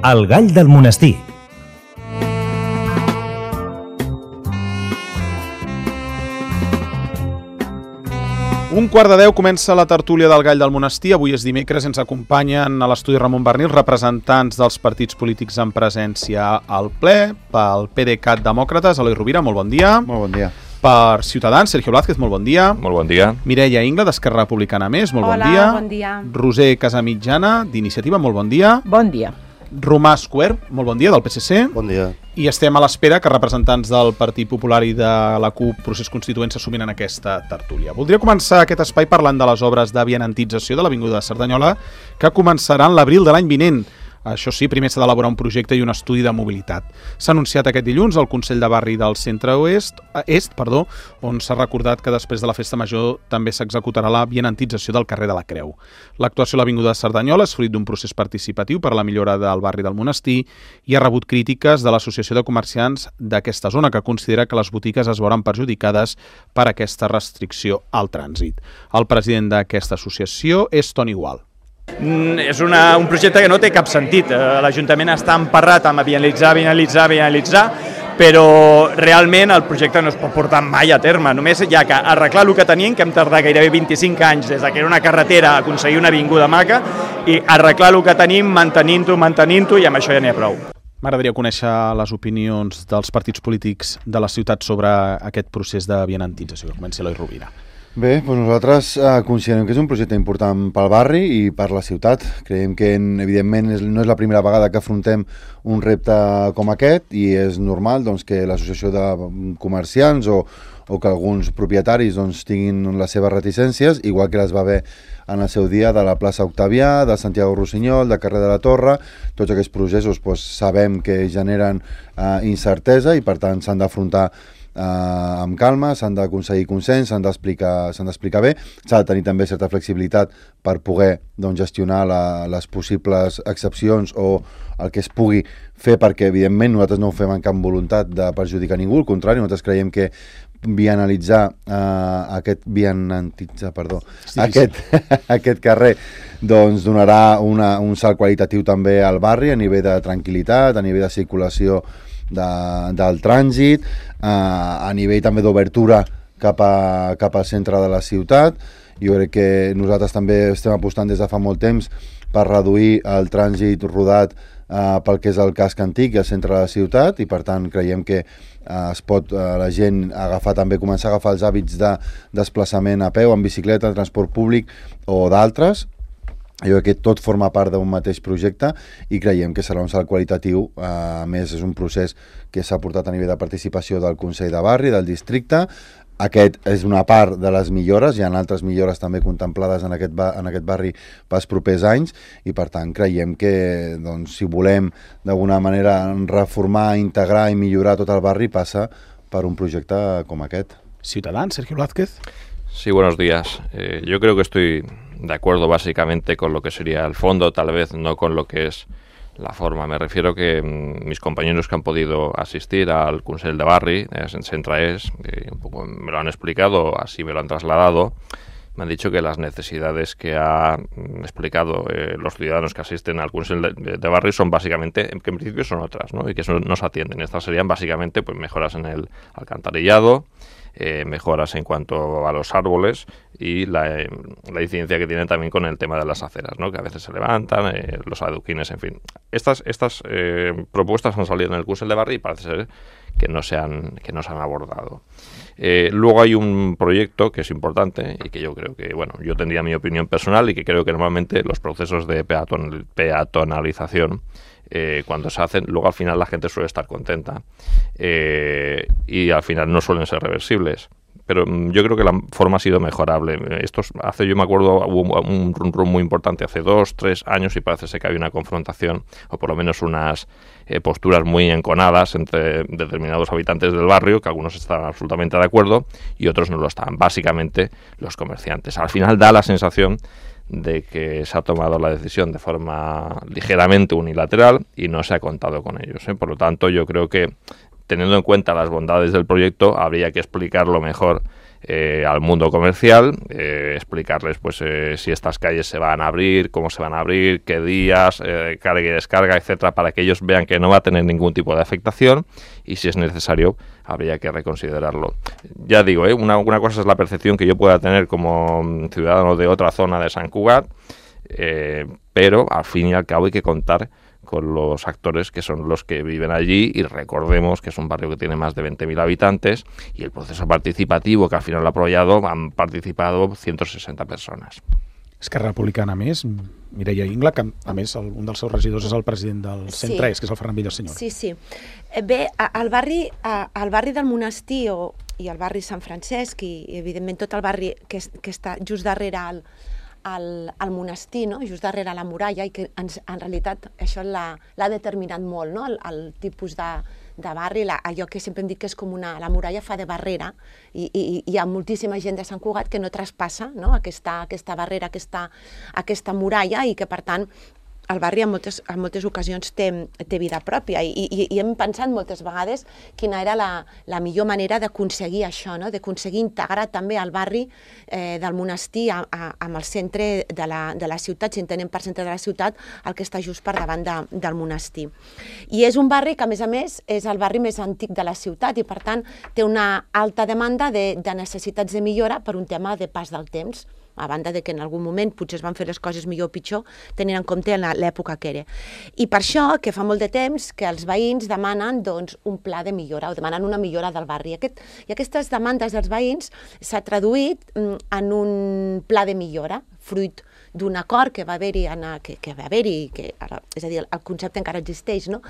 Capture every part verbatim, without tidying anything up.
El gall del monestir. Un quart de deu comença la tertúlia del Gall del Monestir. Avui és dimecres, ens acompanyen a l'estudi Ramon Barnil representants dels partits polítics en presència al ple. Pel PDeCAT Demòcrates, Eloi Rovira, molt bon dia. Molt bon dia. Per Ciutadans, Sergio Blázquez, molt bon dia. Molt bon dia. Mireia Ingla, d'Esquerra Republicana Més, molt Hola, bon dia. bon dia. Roser Casamitjana, d'Iniciativa, molt bon dia. Bon dia. Romà Esquer, molt bon dia, del P S C. Bon dia. I estem a l'espera que representants del Partit Popular i de la CUP Procés Constituent s'assumin en aquesta tertúlia. Voldria començar aquest espai parlant de les obres de vianantització de l'Avinguda de Cerdanyola que començaran l'abril de l'any vinent. Això sí, primer s'ha d'elaborar un projecte i un estudi de mobilitat. S'ha anunciat aquest dilluns al Consell de Barri del Centre Oest, Est, perdó, on s'ha recordat que després de la Festa Major també s'executarà la vianantització del carrer de la Creu. L'actuació a l'Avinguda de Cerdanyola és fruit d'un procés participatiu per a la millora del barri del Monestir i ha rebut crítiques de l'Associació de Comerciants d'aquesta zona, que considera que les botigues es veuran perjudicades per aquesta restricció al trànsit. El president d'aquesta associació és Toni Gual. És una, un projecte que no té cap sentit. L'Ajuntament està emparrat amb vianalitzar, vianalitzar, vianalitzar, però realment el projecte no es pot portar mai a terme. Només hi ha que arreglar el que tenim, que hem tardat gairebé vint-i-cinc anys des que era una carretera a aconseguir una avinguda maca, i arreglar el que tenim, mantenint-ho, mantenint-ho, i amb això ja n'hi ha prou. M'agradaria conèixer les opinions dels partits polítics de la ciutat sobre aquest procés de vianantització. Que comenci Eloi Rovira. Bé, doncs nosaltres eh, considerem que és un projecte important pel barri i per la ciutat. Creiem que, evidentment, és, no és la primera vegada que afrontem un repte com aquest i és normal doncs, que l'associació de comerciants o, o que alguns propietaris doncs, tinguin les seves reticències, igual que les va haver en el seu dia de la plaça Octavià, de Santiago Rossinyol, de carrer de la Torre. Tots aquests processos doncs, sabem que generen eh, incertesa i, per tant, s'han d'afrontar Uh, amb calma, s'han d'aconseguir consens, s'han d'explicar s'han d'explicar bé, s'ha de tenir també certa flexibilitat per poder doncs, gestionar la, les possibles excepcions o el que es pugui fer, perquè evidentment nosaltres no ho fem amb cap voluntat de perjudicar ningú, al contrari, nosaltres creiem que vianalitzar uh, aquest vianantitzar, perdó, aquest, aquest carrer doncs donarà una, un salt qualitatiu també al barri a nivell de tranquil·litat, a nivell de circulació De, del trànsit, eh, a nivell també d'obertura cap, a, cap al centre de la ciutat. Jo crec que nosaltres també estem apostant des de fa molt temps per reduir el trànsit rodat eh, pel que és el casc antic i el centre de la ciutat, i per tant creiem que eh, es pot eh, la gent agafar també començar a agafar els hàbits de desplaçament a peu, en bicicleta, en transport públic o d'altres. Jo crec que tot forma part d'un mateix projecte i creiem que serà un salt qualitatiu. A més, és un procés que s'ha portat a nivell de participació del Consell de Barri, del districte. Aquest és una part de les millores, hi ha altres millores també contemplades en aquest, ba- en aquest barri pels propers anys, i per tant creiem que doncs, si volem d'alguna manera reformar, integrar i millorar tot el barri passa per un projecte com aquest. Ciutadans, Sergio Blázquez. Sí, buenos días. Eh, yo creo que estoy de acuerdo básicamente con lo que sería el fondo, tal vez no con lo que es la forma. Me refiero que mmm, mis compañeros que han podido asistir al Consell de Barri, eh, en Centraes, que un poco me lo han explicado, así me lo han trasladado, me han dicho que las necesidades que han explicado eh, los ciudadanos que asisten al Consell de, de, de Barri son básicamente, que en principio son otras, ¿no? Y que eso no se atienden. Estas serían básicamente pues mejoras en el alcantarillado, Eh, mejoras en cuanto a los árboles y la, eh, la incidencia que tienen también con el tema de las aceras, ¿no? Que a veces se levantan, eh, los adoquines, en fin. Estas, estas eh, propuestas han salido en el Consell de Barri y parece ser que no se han, que no se han abordado. Eh, luego hay un proyecto que es importante y que yo creo que, bueno, yo tendría mi opinión personal y que creo que normalmente los procesos de peaton, peatonalización Eh, cuando se hacen, luego al final la gente suele estar contenta eh, y al final no suelen ser reversibles. Pero yo creo que la forma ha sido mejorable. Esto hace, yo me acuerdo, hubo un run run muy importante hace dos, tres años y parece ser que había una confrontación, o por lo menos unas eh, posturas muy enconadas entre determinados habitantes del barrio, que algunos estaban absolutamente de acuerdo y otros no lo estaban. Básicamente los comerciantes. Al final da la sensación de que se ha tomado la decisión de forma ligeramente unilateral y no se ha contado con ellos, ¿eh? Por lo tanto, yo creo que, teniendo en cuenta las bondades del proyecto, habría que explicarlo mejor eh, al mundo comercial, eh, explicarles pues eh, si estas calles se van a abrir, cómo se van a abrir, qué días, eh, carga y descarga, etcétera, para que ellos vean que no va a tener ningún tipo de afectación y si es necesario habría que reconsiderarlo. Ya digo, ¿eh? una, una cosa es la percepción que yo pueda tener como ciudadano de otra zona de Sant Cugat, eh, pero al fin y al cabo hay que contar con los actores que son los que viven allí y recordemos que es un barrio que tiene más de veinte mil habitantes y el proceso participativo que al final lo ha apoyado han participado ciento sesenta persones. Esquerra Republicana, a més, Mireia Ingla, que a més el, un dels seus regidors és el president del centre, sí. és que és el Ferran Villaseñor. Sí, sí. Bé, al barri, al barri del Monestir o, i al barri Sant Francesc i, i evidentment tot el barri que, que està just darrere al, al, al monestir, no? Just darrere la muralla, i que ens, en realitat això l'ha determinat molt, no? el, el tipus de, de barri, la, allò que sempre hem dit que és com una... La muralla fa de barrera i, i, i hi ha moltíssima gent de Sant Cugat que no traspassa, no? aquesta, aquesta barrera, aquesta, aquesta muralla, i que per tant el barri en moltes, en moltes ocasions té, té vida pròpia i, i, i hem pensat moltes vegades quina era la, la millor manera d'aconseguir això, no? D'aconseguir integrar també el barri eh, del monestir a, a, amb el centre de la, de la ciutat, si entenem per centre de la ciutat el que està just per davant de, del monestir. I és un barri que a més a més és el barri més antic de la ciutat i per tant té una alta demanda de, de necessitats de millora per un tema de pas del temps, a banda de que en algun moment potser es van fer les coses millor o pitjor, tenint en compte l'època que era. I per això, que fa molt de temps, que els veïns demanen doncs, un pla de millora, o demanen una millora del barri. Aquest, I aquestes demandes dels veïns s'ha traduït en un pla de millora, fruit d'un acord que va haver-hi, que, que va haver-hi, que ara, és a dir, el concepte encara existeix, no?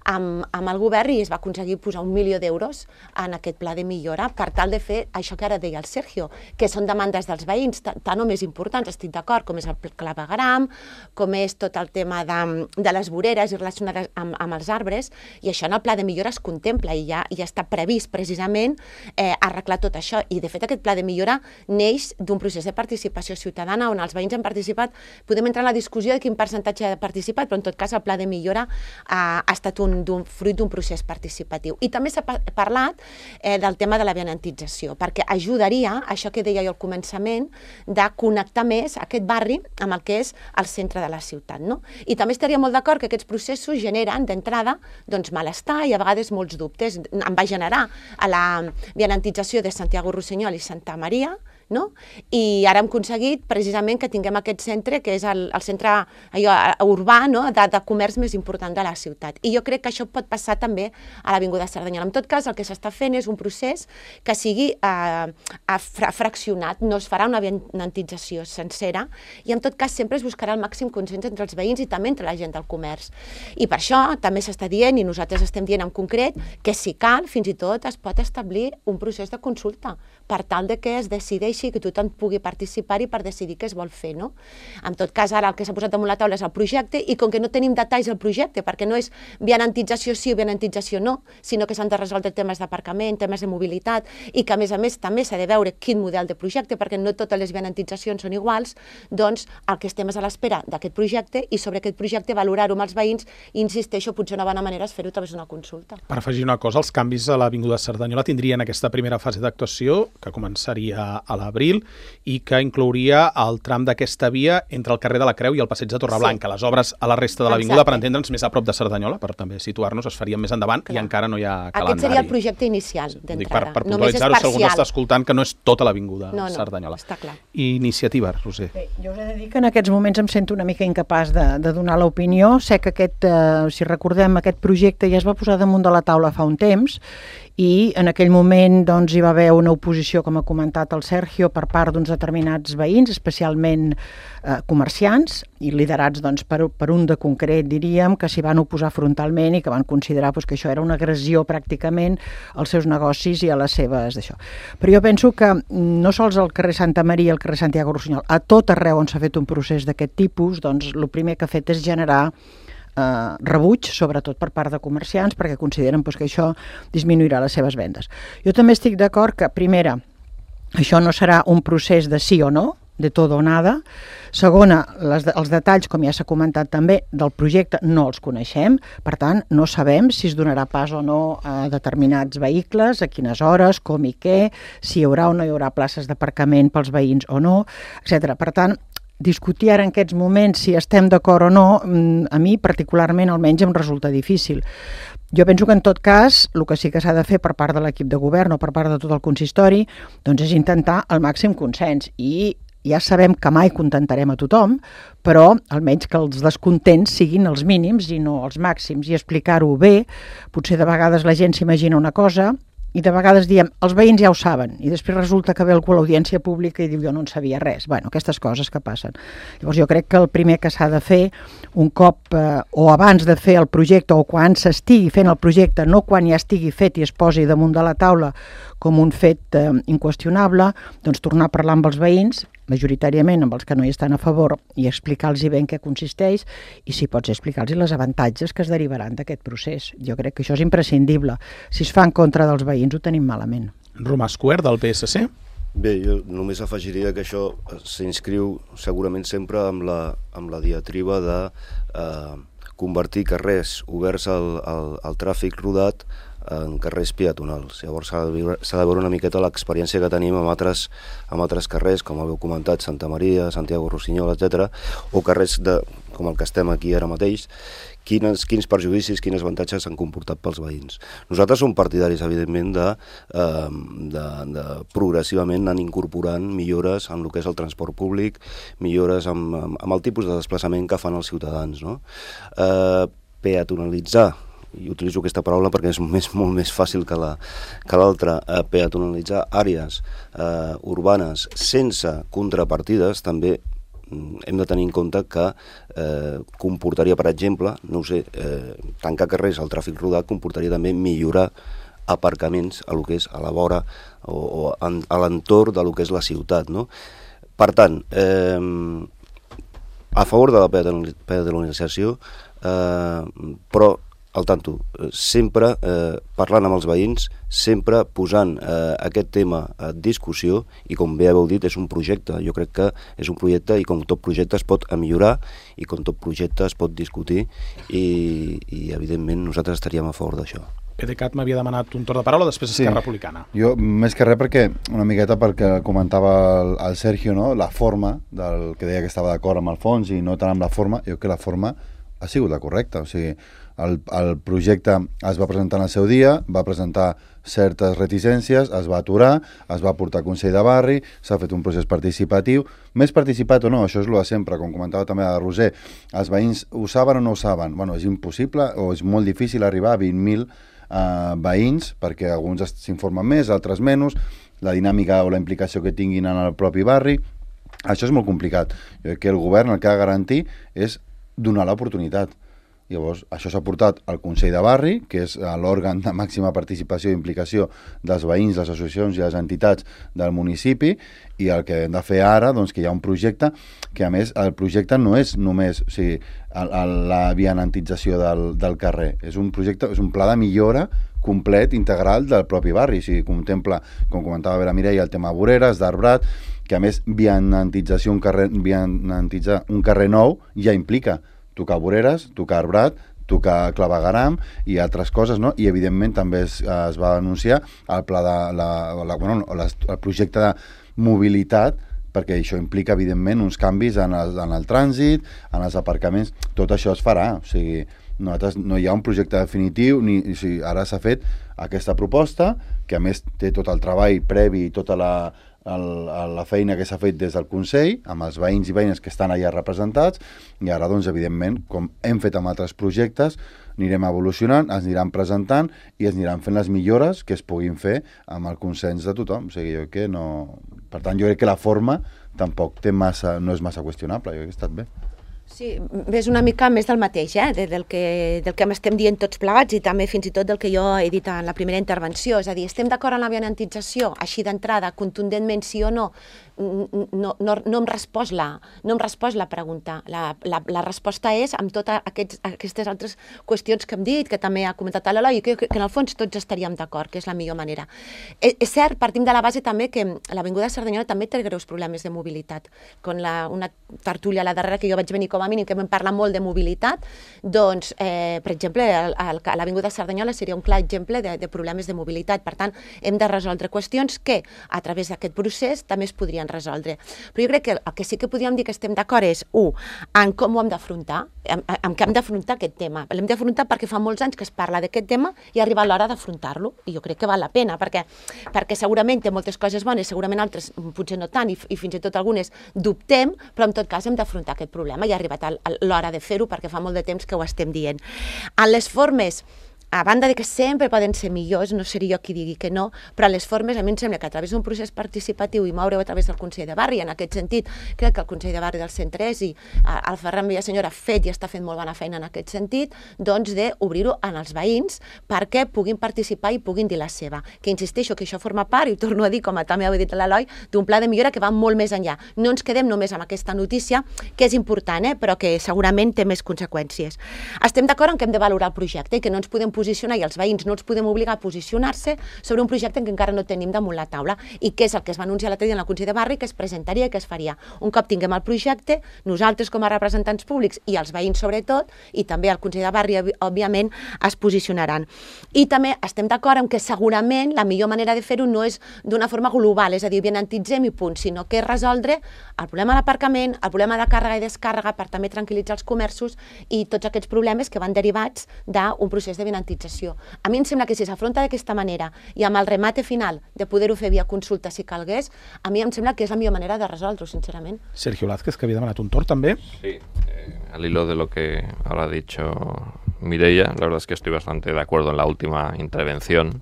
amb, amb el govern, i es va aconseguir posar un milió d'euros en aquest pla de millora per tal de fer això que ara deia el Sergio, que són demandes dels veïns, tant o més importants, estic d'acord, com és el clavegueram, com és tot el tema de, de les voreres i relacionades amb, amb els arbres, i això en el pla de millora es contempla i ja, ja està previst precisament eh, arreglar tot això. I de fet aquest pla de millora neix d'un procés de participació ciutadana on els veïns han participat. Podem entrar en la discussió de quin percentatge ha participat, però en tot cas el pla de millora ha, ha estat un, un fruit d'un procés participatiu. I també s'ha parlat eh, del tema de la vianantització, perquè ajudaria, això que deia jo al començament, de connectar més aquest barri amb el que és el centre de la ciutat. No? I també estaria molt d'acord que aquests processos generen d'entrada doncs, malestar i a vegades molts dubtes. Em va generar a la vianantització de Santiago Rossinyol i Santa Maria, no? I ara hem aconseguit precisament que tinguem aquest centre que és el, el centre allò, urbà, no? de, de comerç més important de la ciutat. I jo crec que això pot passar també a l'Avinguda Cerdanyola. En tot cas, el que s'està fent és un procés que sigui eh, fraccionat, no es farà una vianantització sencera i en tot cas sempre es buscarà el màxim consens entre els veïns i també entre la gent del comerç. I per això també s'està dient, i nosaltres estem dient en concret, que si cal, fins i tot es pot establir un procés de consulta per tal de que es decideixi que tothom pugui participar-hi per decidir què es vol fer, no? En tot cas, ara el que s'ha posat damunt la taula és el projecte i com que no tenim detalls del projecte, perquè no és vianantització sí o vianantització no, sinó que s'han de resoldre temes d'aparcament, temes de mobilitat i que a més a més també s'ha de veure quin model de projecte, perquè no totes les vianantitzacions són iguals, doncs el que estem és a l'espera d'aquest projecte i sobre aquest projecte valorar-ho amb els veïns i insisteixo, potser una bona manera és fer-ho a través d'una consulta. Per afegir una cosa, els canvis a l'Avinguda Cerdanyola tindrien aquesta primera fase d'actuació que començaria a la abril i que inclouria el tram d'aquesta via entre el carrer de la Creu i el passeig de Torreblanca. Sí. Les obres a la resta de l'avinguda, per entendre'ns, més a prop de Cerdanyola, per també situar-nos, es farien més endavant. Clar. I encara no hi ha calendari. Aquest seria el projecte inicial d'entrada. Per, per puntualitzar-ho, si algú està escoltant, que no és tota l'avinguda no, no, Cerdanyola. Està clar. Iniciativa, Roser. Bé, jo us he de dir que en aquests moments em sento una mica incapaç de, de donar l'opinió. Sé que aquest, eh, si recordem, aquest projecte ja es va posar damunt de la taula fa un temps i en aquell moment doncs, hi va haver una oposició, com ha comentat el Sergio, per part d'uns determinats veïns, especialment eh, comerciants, i liderats doncs, per, per un de concret, diríem, que s'hi van oposar frontalment i que van considerar doncs, que això era una agressió pràcticament als seus negocis i a les seves d'això. Però jo penso que no sols al carrer Santa Maria i al carrer Santiago Rossinyol, a tot arreu on s'ha fet un procés d'aquest tipus, doncs el primer que ha fet és generar Eh, rebuig, sobretot per part de comerciants, perquè consideren pues, que això disminuirà les seves vendes. Jo també estic d'acord que, primera, això no serà un procés de sí o no, de tot o nada. Segona, les, els detalls, com ja s'ha comentat també, del projecte no els coneixem, per tant, no sabem si es donarà pas o no a determinats vehicles, a quines hores, com i què, si hi haurà o no hi haurà places d'aparcament pels veïns o no, etcètera. Per tant, discutir ara en aquests moments si estem d'acord o no, a mi particularment almenys em resulta difícil. Jo penso que en tot cas el que sí que s'ha de fer per part de l'equip de govern o per part de tot el consistori doncs és intentar el màxim consens i ja sabem que mai contentarem a tothom, però almenys que els descontents siguin els mínims i no els màxims i explicar-ho bé. Potser de vegades la gent s'imagina una cosa i de vegades diem, els veïns ja ho saben, i després resulta que ve algú a l'audiència pública i diu, jo no en sabia res. Bueno, aquestes coses que passen. Llavors jo crec que el primer que s'ha de fer, un cop eh, o abans de fer el projecte o quan s'estigui fent el projecte, no quan ja estigui fet i es posi damunt de la taula com un fet eh, inqüestionable, doncs tornar a parlar amb els veïns, majoritàriament amb els que no hi estan a favor, i explicar-los bé en què consisteix i, si pots, explicar-los les avantatges que es derivaran d'aquest procés. Jo crec que això és imprescindible. Si es fa en contra dels veïns, ho tenim malament. Romà Escuer, del P S C. Bé, jo només afegiria que això s'inscriu segurament sempre amb la, amb la diatriba de eh, convertir carrers oberts al, al, al tràfic rodat en carrers peatonals. Llavors s'ha de, viure, s'ha de veure una miqueta l'experiència que tenim amb altres, amb altres carrers, com haveu comentat, Santa Maria, Santiago Rossinyol, etcètera, o carrers de, com el que estem aquí ara mateix, quins, quins perjudicis, quins avantatges s'han comportat pels veïns. Nosaltres som partidaris, evidentment, de, eh, de, de progressivament anar incorporant millores en el que és el transport públic, millores amb, amb, amb el tipus de desplaçament que fan els ciutadans, no? Eh, peatonalitzar, i utilitzo aquesta paraula perquè és més, molt més fàcil que la, que l'altra, eh, peatonalitzar àrees eh, urbanes sense contrapartides també hem de tenir en compte que eh, comportaria, per exemple, no ho sé, eh, tancar carrers al tràfic rodat comportaria també millorar aparcaments a lo que és a la vora o, o en, a l'entorn de lo que és la ciutat, no? Per tant, eh, a favor de la peatonalització, eh, però al tanto, sempre eh, parlant amb els veïns, sempre posant eh, aquest tema a discussió, i com bé heu dit, és un projecte. Jo crec que és un projecte i com tot projecte es pot millorar i com tot projecte es pot discutir i, i evidentment nosaltres estaríem a favor d'això. PDeCAT m'havia demanat un torn de paraula, després sí. Esquerra Republicana. Jo, més que res, perquè una miqueta perquè comentava el, el Sergio, no? La forma, del que deia que estava d'acord amb el fons i no tant amb la forma, jo crec que la forma ha sigut la correcta, o sigui, El, el projecte es va presentar en el seu dia, va presentar certes reticències, es va aturar, es va portar a Consell de Barri, s'ha fet un procés participatiu, més participat o no, això és el de sempre, com comentava també la Roser, els veïns ho saben o no ho saben? Bueno, és impossible o és molt difícil arribar a vint mil eh, veïns, perquè alguns s'informen més, altres menys, la dinàmica o la implicació que tinguin en el propi barri, això és molt complicat. Jo crec que el govern el que ha de garantir és donar l'oportunitat. Llavors, això s'ha portat al Consell de Barri, que és l'òrgan de màxima participació i implicació dels veïns, les associacions i les entitats del municipi, i el que hem de fer ara, doncs, que hi ha un projecte, que a més el projecte no és només, o sigui, el, el, la vianantització del, del carrer, és un projecte, és un pla de millora complet, integral del propi barri, o sigui, contempla, com comentava la Mireia, el tema voreres, d'arbrat, que a més vianantització, un carrer, vianantitzar un carrer nou ja implica tocar voreres, tocar arbrat, tocar clavegaram i altres coses, no? I evidentment també es, es va anunciar el pla de la, la, bueno, el projecte de mobilitat, perquè això implica evidentment uns canvis en el, en el trànsit, en els aparcaments, tot això es farà, o sigui, nosaltres no hi ha un projecte definitiu, ni, o sigui, ara s'ha fet aquesta proposta, que a més té tot el treball previ i tota la El, la feina que s'ha fet des del Consell, amb els veïns i veïnes que estan allà representats, i ara, doncs, evidentment, com hem fet amb altres projectes, anirem evolucionant, ens aniran presentant i es aniran fent les millores que es puguin fer amb el consens de tothom. O sigui, jo crec que no... Per tant, jo crec que la forma tampoc té massa, no és massa qüestionable, jo crec que ha estat bé. Sí, és una mica més del mateix, eh? de, del, que, del que estem dient tots plegats i també fins i tot del que jo he dit en la primera intervenció. És a dir, estem d'acord en la vianantització, així d'entrada, contundentment sí o no? no, no, no, em respost la, no em respost la pregunta. La, la, la resposta és amb totes aquests, aquestes altres qüestions que hem dit, que també ha comentat l'Eloi, i que, que en el fons tots estaríem d'acord, que és la millor manera. És, és cert, partim de la base també que l'Avinguda de Cerdanyola també té greus problemes de mobilitat. Con la, una tertúlia a la darrera que jo vaig venir com a mínim, que vam parlar molt de mobilitat, doncs, eh, per exemple, l'Avinguda de Cerdanyola seria un clar exemple de, de problemes de mobilitat. Per tant, hem de resoldre qüestions que, a través d'aquest procés, també es podrien resoldre. Però jo crec que el que sí que podríem dir que estem d'acord és, u, en com ho hem d'afrontar, en, en què hem d'afrontar aquest tema. L'hem d'afrontar perquè fa molts anys que es parla d'aquest tema i arriba l'hora d'afrontar-lo, i jo crec que val la pena, perquè, perquè segurament té moltes coses bones, segurament altres potser no tant, i, i fins i tot algunes dubtem, però en tot cas hem d'afrontar aquest problema i ha arribat l'hora de fer-ho perquè fa molt de temps que ho estem dient. En les formes, a banda de que sempre poden ser millors, no seria jo qui digui que no, però les formes a mi em sembla que a través d'un procés participatiu i moure-ho a través del Consell de Barri, en aquest sentit crec que el Consell de Barri del cent tres i el Ferran Villasenyor ha fet i està fent molt bona feina en aquest sentit, doncs d'obrir-ho als veïns perquè puguin participar i puguin dir la seva. Que insisteixo que això forma part, i ho torno a dir, com també ho ha dit l'Eloi, d'un pla de millora que va molt més enllà. No ens quedem només amb aquesta notícia, que és important, eh, però que segurament té més conseqüències. Estem d'acord en que hem de valorar el projecte i que no ens podem posicionar i els veïns no els podem obligar a posicionar-se sobre un projecte que encara no tenim damunt la taula i que és el que es va anunciar l'altre dia en el Consell de Barri, que es presentaria i que es faria. Un cop tinguem el projecte, nosaltres com a representants públics i els veïns sobretot, i també el Consell de Barri, òbviament, es posicionaran. I també estem d'acord en que segurament la millor manera de fer-ho no és d'una forma global, és a dir, benantitzem i punt, sinó que és resoldre el problema de l'aparcament, el problema de càrrega i descàrrega per també tranquil·litzar els comerços i tots aquests problemes que van derivats d'un procés de benantització. A mi em sembla que si s'afronta d'aquesta manera i amb el remate final de poder-ho fer via consulta si calgués, a mi em sembla que és la millor manera de resoldre-ho, sincerament. Sergio Lázquez, que havia demanat un torn també. Sí, eh, al hilo de lo que ahora ha dicho Mireia, la verdad es que estoy bastante de acuerdo en la última intervención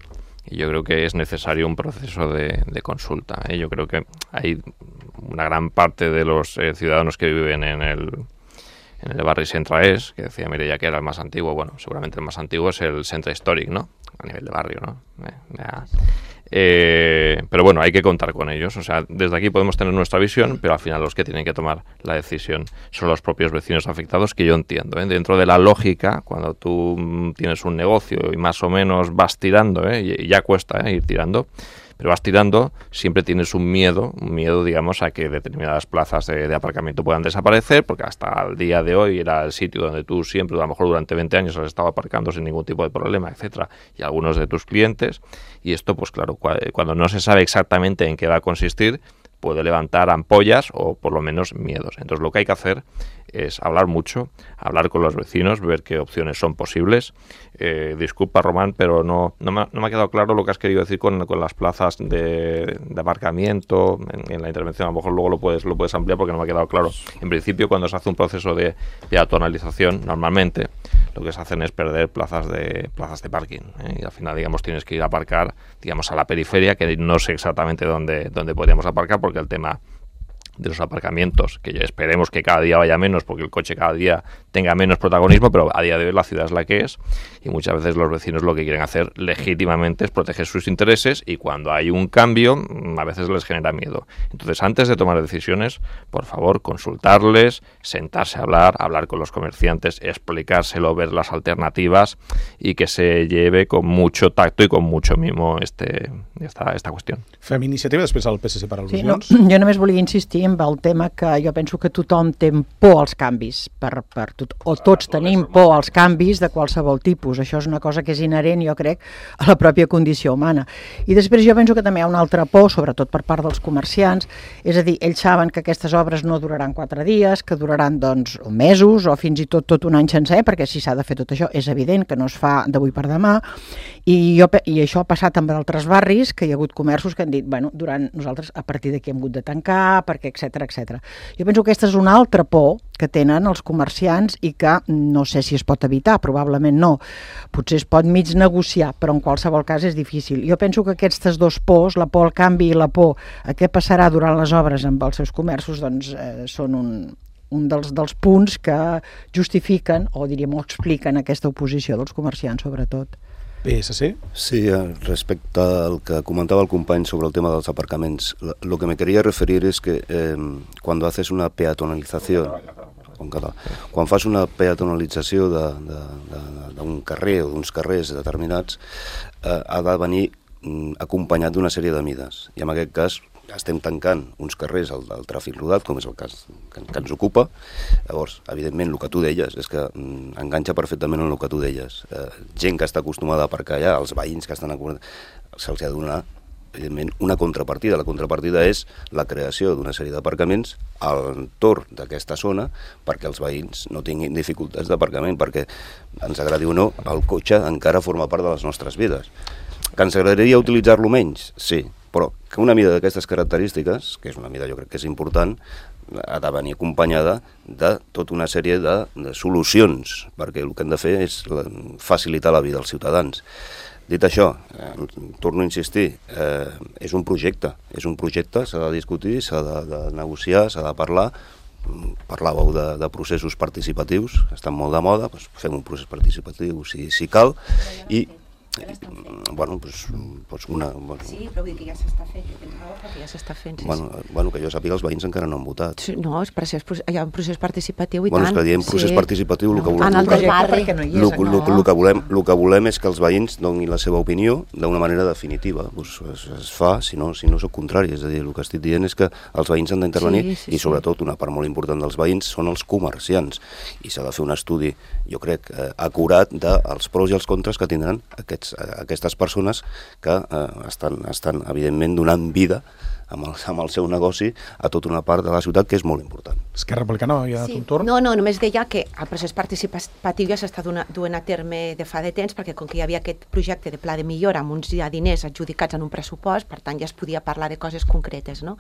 y yo creo que es necesario un proceso de, de consulta, ¿eh? Yo creo que hay una gran parte de los eh, ciudadanos que viven en el en el barri Centraés, que decía Mireia que era el más antiguo, bueno, seguramente el más antiguo es el Centre Històric, ¿no? A nivel de barrio, ¿no? Eh, ya. Eh, pero bueno, hay que contar con ellos, o sea, desde aquí podemos tener nuestra visión, pero al final los que tienen que tomar la decisión son los propios vecinos afectados, que yo entiendo, ¿eh? Dentro de la lógica, cuando tú tienes un negocio y más o menos vas tirando, ¿eh? Y ya cuesta, ¿eh? Ir tirando, pero vas tirando, siempre tienes un miedo, un miedo, digamos, a que determinadas plazas de, de aparcamiento puedan desaparecer, porque hasta el día de hoy era el sitio donde tú siempre, a lo mejor durante veinte años, has estado aparcando sin ningún tipo de problema, etcétera, y algunos de tus clientes, y esto, pues claro, cuando no se sabe exactamente en qué va a consistir, puede levantar ampollas o por lo menos miedos. Entonces lo que hay que hacer es hablar mucho, hablar con los vecinos, ver qué opciones son posibles. Eh, disculpa, Román, pero no, no, me, no me ha quedado claro lo que has querido decir con, con las plazas de, de aparcamiento en, en la intervención. A lo mejor luego lo puedes, lo puedes ampliar porque no me ha quedado claro. En principio, cuando se hace un proceso de peatonalización, normalmente lo que se hacen es perder plazas de plazas de parking, ¿eh? Y al final, digamos, tienes que ir a aparcar, digamos, a la periferia, que no sé exactamente dónde, dónde podríamos aparcar, porque el tema de los aparcamientos, que ya esperemos que cada día vaya menos porque el coche cada día tenga menos protagonismo, pero a día de hoy la ciudad es la que es y muchas veces los vecinos lo que quieren hacer legítimamente es proteger sus intereses y cuando hay un cambio a veces les genera miedo. Entonces, antes de tomar decisiones, por favor, consultarles, sentarse a hablar, hablar con los comerciantes, explicárselo, ver las alternativas y que se lleve con mucho tacto y con mucho mimo este, esta, esta qüestió. Fem iniciativa, després el P S C per al·lusions. Sí, no, jo només volia insistir amb el tema que jo penso que tothom té por als canvis, per, per tot, o tots tenim por als canvis de qualsevol tipus. Això és una cosa que és inherent, jo crec, a la pròpia condició humana. I després jo penso que també hi ha una altra por, sobretot per part dels comerciants, és a dir, ells saben que aquestes obres no duraran quatre dies, que duraran doncs mesos o fins i tot tot un any sencer, perquè si s'ha de fer tot això és evident que no es fa d'avui per demà, i, jo, i això ha passat amb altres barris, que hi ha hagut comerços que han dit, bueno, durant nosaltres a partir d'aquí hem hagut de tancar, perquè etcètera, etcètera. Jo penso que aquesta és una altra por que tenen els comerciants i que no sé si es pot evitar, probablement no. Potser es pot mig negociar, però en qualsevol cas és difícil. Jo penso que aquestes dos pors, la por al canvi i la por a què passarà durant les obres amb els seus comerços, doncs eh, són un, un dels, dels punts que justifiquen, o diríem, o expliquen aquesta oposició dels comerciants, sobretot. P S C? Sí, respecte al que comentaba el company sobre el tema dels aparcaments, lo que me quería referir es que eh, cuando haces una peatonalización, con català, quan fas una peatonalització d'un carrer o d'uns carrers determinats, eh, ha de venir mm, acompanyat d'una sèrie de mides. I en aquest cas estem tancant uns carrers al, al tràfic rodat, com és el cas que, que ens ocupa. Llavors, evidentment, el que tu deies és que mm, enganxa perfectament en el que tu deies. Eh, gent que està acostumada a aparcar allà, els veïns que estan acostumats, se'ls ha de donar, evidentment, una contrapartida. La contrapartida és la creació d'una sèrie d'aparcaments al entorn d'aquesta zona perquè els veïns no tinguin dificultats d'aparcament, perquè, ens agradi o no, el cotxe encara forma part de les nostres vides. Que ens agradaria utilitzar-lo menys? Sí, però que una mida d'aquestes característiques, que és una mida jo crec que és important, ha de venir acompanyada de tota una sèrie de, de solucions, perquè el que hem de fer és facilitar la vida als ciutadans. Dit això, eh, torno a insistir, eh, és un projecte, és un projecte, s'ha de discutir, s'ha de, de negociar, s'ha de parlar. Parlàveu de, de processos participatius, estan molt de moda, doncs fem un procés participatiu si, si cal, i bueno, pues, pues una... Bueno, sí, però vull dir que ja s'està fent, jo tens raó, perquè ja s'està fent. Sí, bueno, sí. bueno, que jo sàpiga, els veïns encara no han votat. Sí, no, és procés, hi ha un procés participatiu i bueno, tant. Bueno, és que diem procés sí. participatiu, el no, que volem... En el del barri. No el, el, el, el, que volem, el que volem és que els veïns donin la seva opinió d'una manera definitiva. Pues es, es fa, si no, si no soc contrari, és a dir, el que estic dient és que els veïns han d'intervenir sí, sí, i sobretot una part molt important dels veïns són els comerciants i s'ha de fer un estudi, jo crec, eh, acurat dels pros i els contres que tindran aquests, aquestes persones persones que eh, estan, estan, evidentment, donant vida amb el, amb el seu negoci a tota una part de la ciutat, que és molt important. Esquerra Republicana havia sí. de un torn? No, no, només deia que el procés participatiu ja s'està duent a terme de fa de temps, perquè com que hi havia aquest projecte de pla de millora amb uns ja diners adjudicats en un pressupost, per tant ja es podia parlar de coses concretes, no?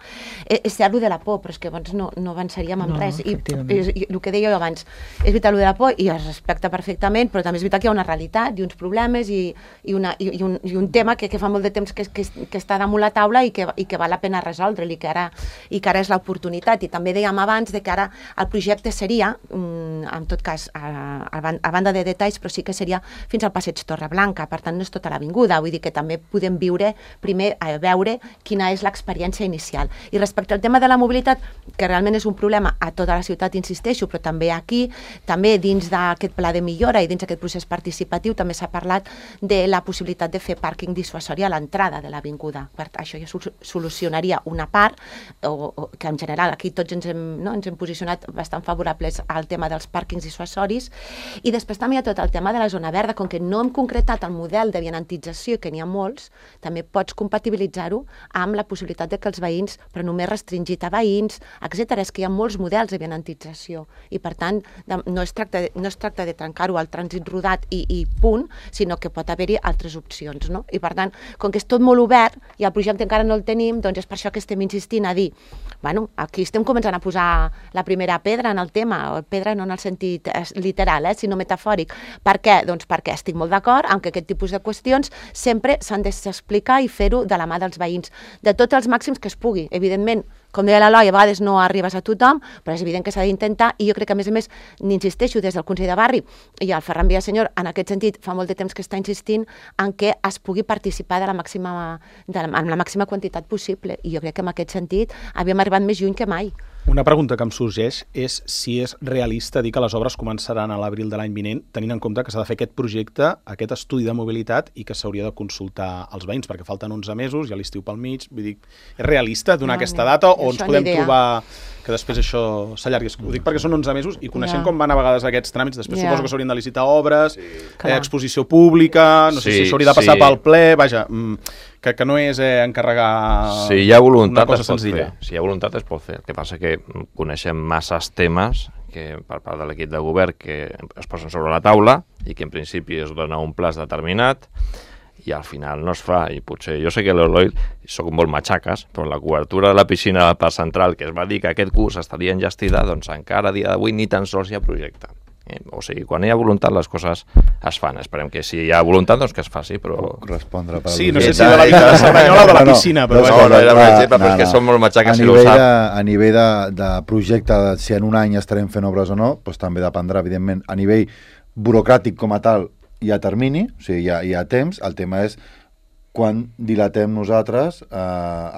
És, és cert, el de la por, però és que abans no, no avançaríem en no, res. I, i, i el que deia jo abans, és veritat el de la por i es respecta perfectament, però també és veritat que hi ha una realitat i uns problemes i, i, una, i, i, un, i un tema que, que fa molt de temps que, que, que està damunt la taula i que, i que val la pena resoldre-li, i que ara, i que ara és l'oportunitat. I també dèiem abans de que ara el projecte seria, en tot cas, a, a banda de detalls, però sí que seria fins al passeig Torreblanca, per tant no és tota l'avinguda, vull dir que també podem viure, primer a veure quina és l'experiència inicial. I respecte al tema de la mobilitat, que realment és un problema a tota la ciutat, insisteixo, però també aquí, també dins d'aquest pla de millora i dins d'aquest procés participatiu també s'ha parlat de la possibilitat de fer pàrquing dissuasori a l'entrada de l'avinguda. Això ja solucionaria una part, o, o, que en general aquí tots ens hem, no, ens hem posicionat bastant favorables al tema dels pàrquings dissuasoris, i després també hi ha tot el tema de la zona verda, com que no hem concretat el model de vianantització, que n'hi ha molts, també pots compatibilitzar-ho amb la possibilitat de que els veïns, però només restringit a veïns, etcètera. És que hi ha molts models de vianantització i per tant de, no es tracta de, no es tracta de trencar-ho al trànsit rodat i, i punt, sinó que pot haver-hi altres opcions, no? I per tant, com que és tot molt obert i el projecte encara no el tenim, doncs és per això que estem insistint a dir, bueno, aquí estem començant a posar la primera pedra en el tema, pedra no en el sentit literal, eh, sinó metafòric. Per què? Doncs perquè estic molt d'acord amb que aquest tipus de qüestions sempre s'han d'explicar i fer-ho de la mà dels veïns, de tots els màxims que es pugui. Evidentment, com deia l'Eloi, a vegades no arribes a tothom, però és evident que s'ha d'intentar, i jo crec que, a més a més, n'insisteixo des del Consell de Barri, i el Ferran Villasenyor, en aquest sentit, fa molt de temps que està insistint en que es pugui participar de la màxima, de la, amb la màxima quantitat possible, i jo crec que en aquest sentit havíem arribat més lluny que mai. Una pregunta que em sorgeix és si és realista dir que les obres començaran a l'abril de l'any vinent, tenint en compte que s'ha de fer aquest projecte, aquest estudi de mobilitat, i que s'hauria de consultar als veïns, perquè falten onze mesos, hi ha l'estiu pel mig. Vull dir, és realista donar no, aquesta data o ens podem trobar que després això s'allargui? Ho dic perquè són onze mesos i coneixent ja. com van a vegades aquests tràmits, després ja. suposo que s'haurien de licitar obres, sí. eh, exposició pública, no sí, sé si s'hauria de passar sí. pel ple, vaja... Mm, Que, que no és eh, encarregar si hi ha voluntat, una cosa senzilla. Si hi ha voluntat es pot fer. El que passa que coneixem masses temes que per part de l'equip de govern que es posen sobre la taula i que en principi es dona un plaç determinat i al final no es fa. I potser, jo sé que l'Eloi soc molt matxaques, però la cobertura de la piscina del Parc Central, que es va dir que aquest curs estaria enllestida, doncs encara a dia d'avui ni tan sols hi ha projecte. Eh? O sigui, quan hi ha voluntat les coses es fan. Esperem que si hi ha voluntat doncs que es faci, però... Puc respondre per... Sí, no sé si de la Vita de Cerdanyola o de la piscina, però... No, no, no era un exemple, però és que som molt matxaques si ho sap. A nivell de, de projecte, si en un any estarem fent obres o no, doncs també dependrà, evidentment, a nivell burocràtic com a tal, hi ha termini, o sigui, hi ha, hi ha temps, el tema és quan dilatem nosaltres eh,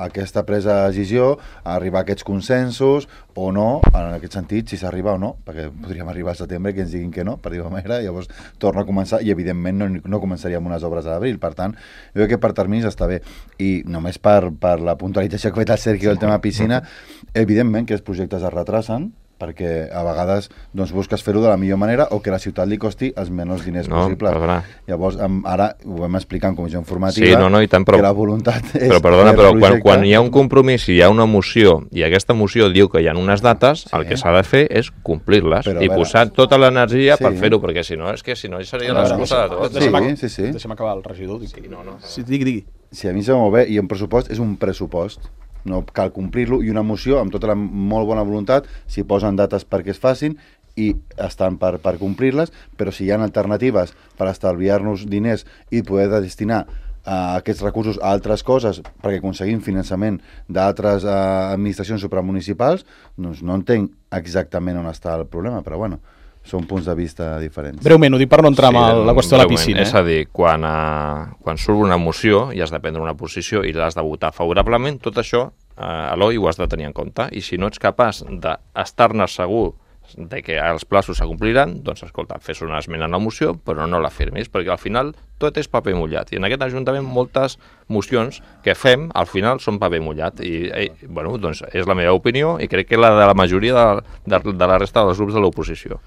aquesta presa de decisió, a arribar a aquests consensos o no, en aquest sentit, si s'arriba o no, perquè podríem arribar al setembre que ens diguin que no, per dir-ho manera, llavors torna a començar i evidentment no, no començaríem unes obres a l'abril, per tant, jo crec que per terminis està bé, i només per, per la puntualització que ha fet el Sergi del tema piscina, evidentment que els projectes es retrasen, perquè a vegades doncs, busques fer-ho de la millor manera o que la ciutat li costi els menys diners no, possibles. Perdona. Llavors, ara ho vam explicar en comissió informativa, sí, no, no, i tant, però, que la voluntat és... Però perdona, però quan, quan hi ha un compromís i hi ha una moció i aquesta moció diu que hi ha unes dates, sí. El que s'ha de fer és complir-les i veure, posar tota l'energia sí. per fer-ho, perquè si no, és que si no seria l'excusa de tot. Deixa'm, sí, sí, sí. deixa'm acabar el regidor. Sí, no, no. Sí, digui, digui. Sí, a mi em sembla molt bé, i un pressupost és un pressupost. No cal complir-lo, i una moció amb tota la molt bona voluntat, si posen dates perquè es facin i estan per, per complir-les, però si hi ha alternatives per estalviar-nos diners i poder destinar uh, aquests recursos a altres coses perquè aconseguim finançament d'altres uh, administracions supramunicipals, doncs no entenc exactament on està el problema, però bueno, són punts de vista diferents. Breument, ho dic per no entrar sí, amb la qüestió de la piscina. És a dir, quan, uh, quan surt una moció i has de prendre una posició i l'has de votar favorablement, tot això, uh, Eloi, ho has de tenir en compte. I si no ets capaç d'estar-ne segur de que els plaços s'acompliran, doncs escolta, fes una esmena a la moció, però no la firmis, perquè al final tot és paper mullat. I en aquest Ajuntament moltes mocions que fem, al final són paper mullat. I, i bueno, doncs és la meva opinió i crec que la de la majoria de, de, de la resta dels grups de l'oposició.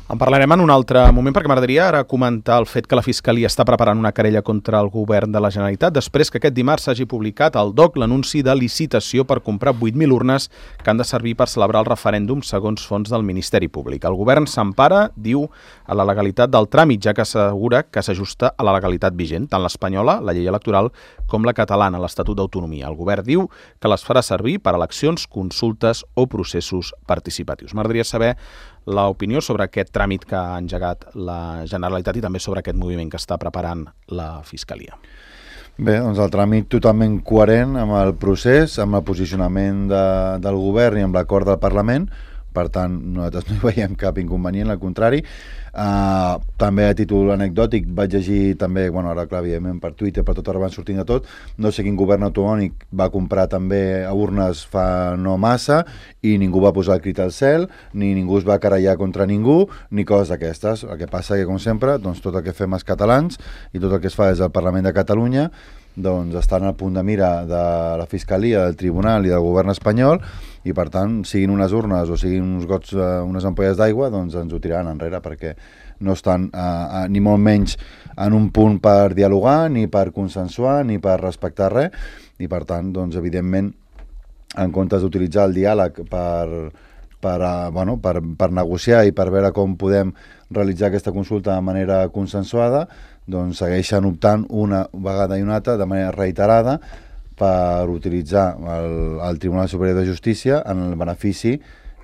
En parlarem en un altre moment, perquè m'agradaria ara comentar el fet que la Fiscalia està preparant una querella contra el govern de la Generalitat després que aquest dimarts s'hagi publicat al D O C l'anunci de licitació per comprar vuit mil urnes que han de servir per celebrar el referèndum segons fons del Ministeri Públic. El govern s'empara, diu, a la legalitat del tràmit, ja que assegura que s'ajusta a la legalitat vigent, tant l'espanyola, la llei electoral, com la catalana, l'Estatut d'Autonomia. El govern diu que les farà servir per a eleccions, consultes o processos participatius. M'agradaria saber l'opinió sobre aquest tràmit que ha engegat la Generalitat i també sobre aquest moviment que està preparant la Fiscalia. Bé, doncs el tràmit totalment coherent amb el procés, amb el posicionament de, del govern i amb l'acord del Parlament, per tant, nosaltres no hi veiem cap inconvenient, al contrari. Uh, també a títol anecdòtic vaig llegir també, bueno, ara clar, evidentment per Twitter, per tot arreu van sortint de tot, no sé quin govern autonòmic va comprar també urnes fa no massa i ningú va posar el crit al cel, ni ningú es va querellar contra ningú, ni coses d'aquestes. El que passa que, com sempre, doncs tot el que fem els catalans i tot el que es fa des del Parlament de Catalunya doncs estan al punt de mira de la Fiscalia, del Tribunal i del govern espanyol, i per tant, siguin unes urnes o siguin uns gots, uh, unes ampolles d'aigua, doncs ens ho tiraran enrere, perquè no estan uh, uh, ni molt menys en un punt per dialogar, ni per consensuar, ni per respectar res, i per tant, doncs, evidentment, en comptes d'utilitzar el diàleg per, per, uh, bueno, per, per negociar i per veure com podem realitzar aquesta consulta de manera consensuada, doncs segueixen optant una vegada i una altra de manera reiterada per utilitzar el, el Tribunal Superior de Justícia en el benefici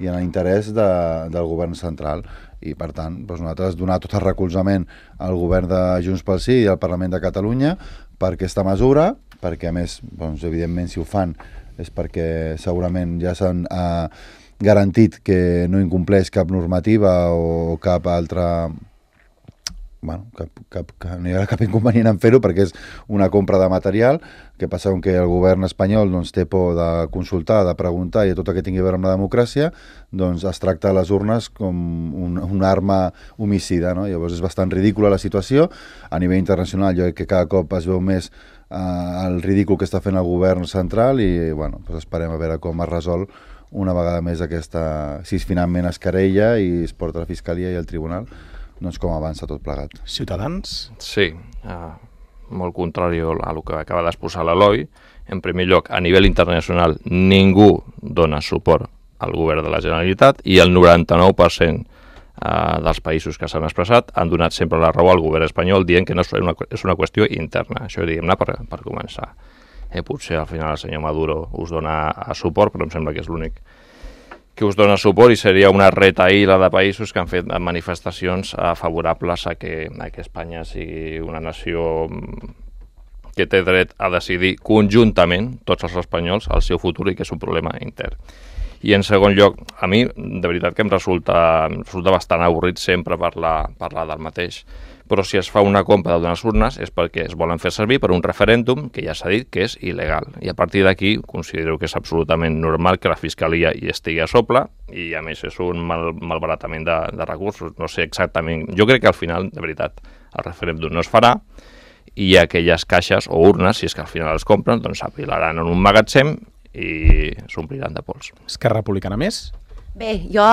i en l'interès de, del govern central. I per tant, doncs nosaltres donar tot el recolzament al govern de Junts pel Sí i al Parlament de Catalunya per aquesta mesura, perquè a més, doncs, evidentment si ho fan és perquè segurament ja s'han eh, garantit que no incompleix cap normativa o cap altra... Bueno, cap, cap, cap, no hi ha cap inconvenient en fer-ho perquè és una compra de material. Que passa que el govern espanyol doncs, té por de consultar, de preguntar i tot el que tingui a veure amb la democràcia, doncs es tracta les urnes com un, una arma homicida, no? Llavors és bastant ridícula la situació. A nivell internacional jo crec que cada cop es veu més eh, el ridícul que està fent el govern central i bueno, doncs esperem a veure com es resol una vegada més aquesta, si finalment es querella i es porta a la Fiscalia i al Tribunal, doncs com avança tot plegat. Ciutadans? Sí, uh, molt contrari a el que acaba d'exposar l'Eloi. En primer lloc, a nivell internacional, ningú dona suport al govern de la Generalitat i el noranta-nou per cent uh, dels països que s'han expressat han donat sempre la raó al govern espanyol dient que no és una, és una qüestió interna. Això diguem-ne per, per començar. Eh, potser al final el senyor Maduro us dona suport, però em sembla que és l'únic que us dona suport i seria una retaïla de països que han fet manifestacions uh, favorables a que, a que Espanya sigui una nació que té dret a decidir conjuntament, tots els espanyols, el seu futur i que és un problema intern. I en segon lloc, a mi, de veritat que em resulta, em resulta bastant avorrit sempre parlar, parlar del mateix. Però si es fa una compra d'unes urnes és perquè es volen fer servir per un referèndum que ja s'ha dit que és il·legal. I a partir d'aquí considero que és absolutament normal que la Fiscalia hi estigui a sople i a més és un mal, malbaratament de, de recursos. No sé exactament... Jo crec que al final, de veritat, el referèndum no es farà i aquelles caixes o urnes, si és que al final es compren, doncs s'apilaran en un magatzem i s'ompliran de pols. Esquerra Republicana més? Bé, jo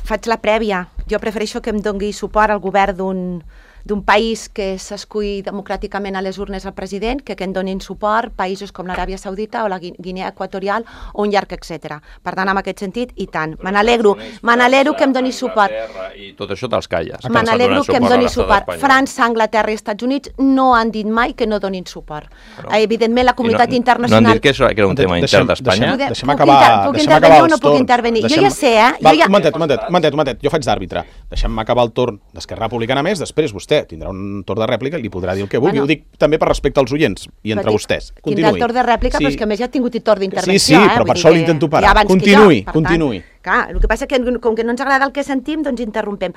faig la prèvia. Jo prefereixo que em doni suport al govern d'un d'un país que s'escull democràticament a les urnes al president, que, que en donin suport països com l'Aràbia Saudita o la Guinea Equatorial o un llarg, etcètera. Per tant, en aquest sentit, i tant. Me n'alegro, me n'alegro que em doni suport. I tot això te'ls calles. Me n'alegro que em doni suport. França, Anglaterra i Estats Units no han dit mai que no donin suport. Però, Evidentment, la comunitat no, internacional... No han dit que, això, que era un tema deixem, intern d'Espanya? Deixem, deixem acabar, puc deixem intervenir acabar o no puc intervenir? Deixem... Jo ja sé, eh? Val, jo ja... Un momentet, un momentet, un momentet, un momentet. Jo faig d'àrbitre. Deixem-me acabar el torn d'Esquerra Republicana més, després vostè tindrà un torn de rèplica i li podrà dir el que vulgui. Bueno, ho dic també per respecte als oients i entre vostès. Continuï. Tindrà el torn de rèplica, sí. Però és que a més ja ha tingut torn d'intervenció. Sí, sí, però eh? per això l'intento parar. Continuï, continuï. Clar, el que passa és que com que no ens agrada el que sentim, doncs interrompem.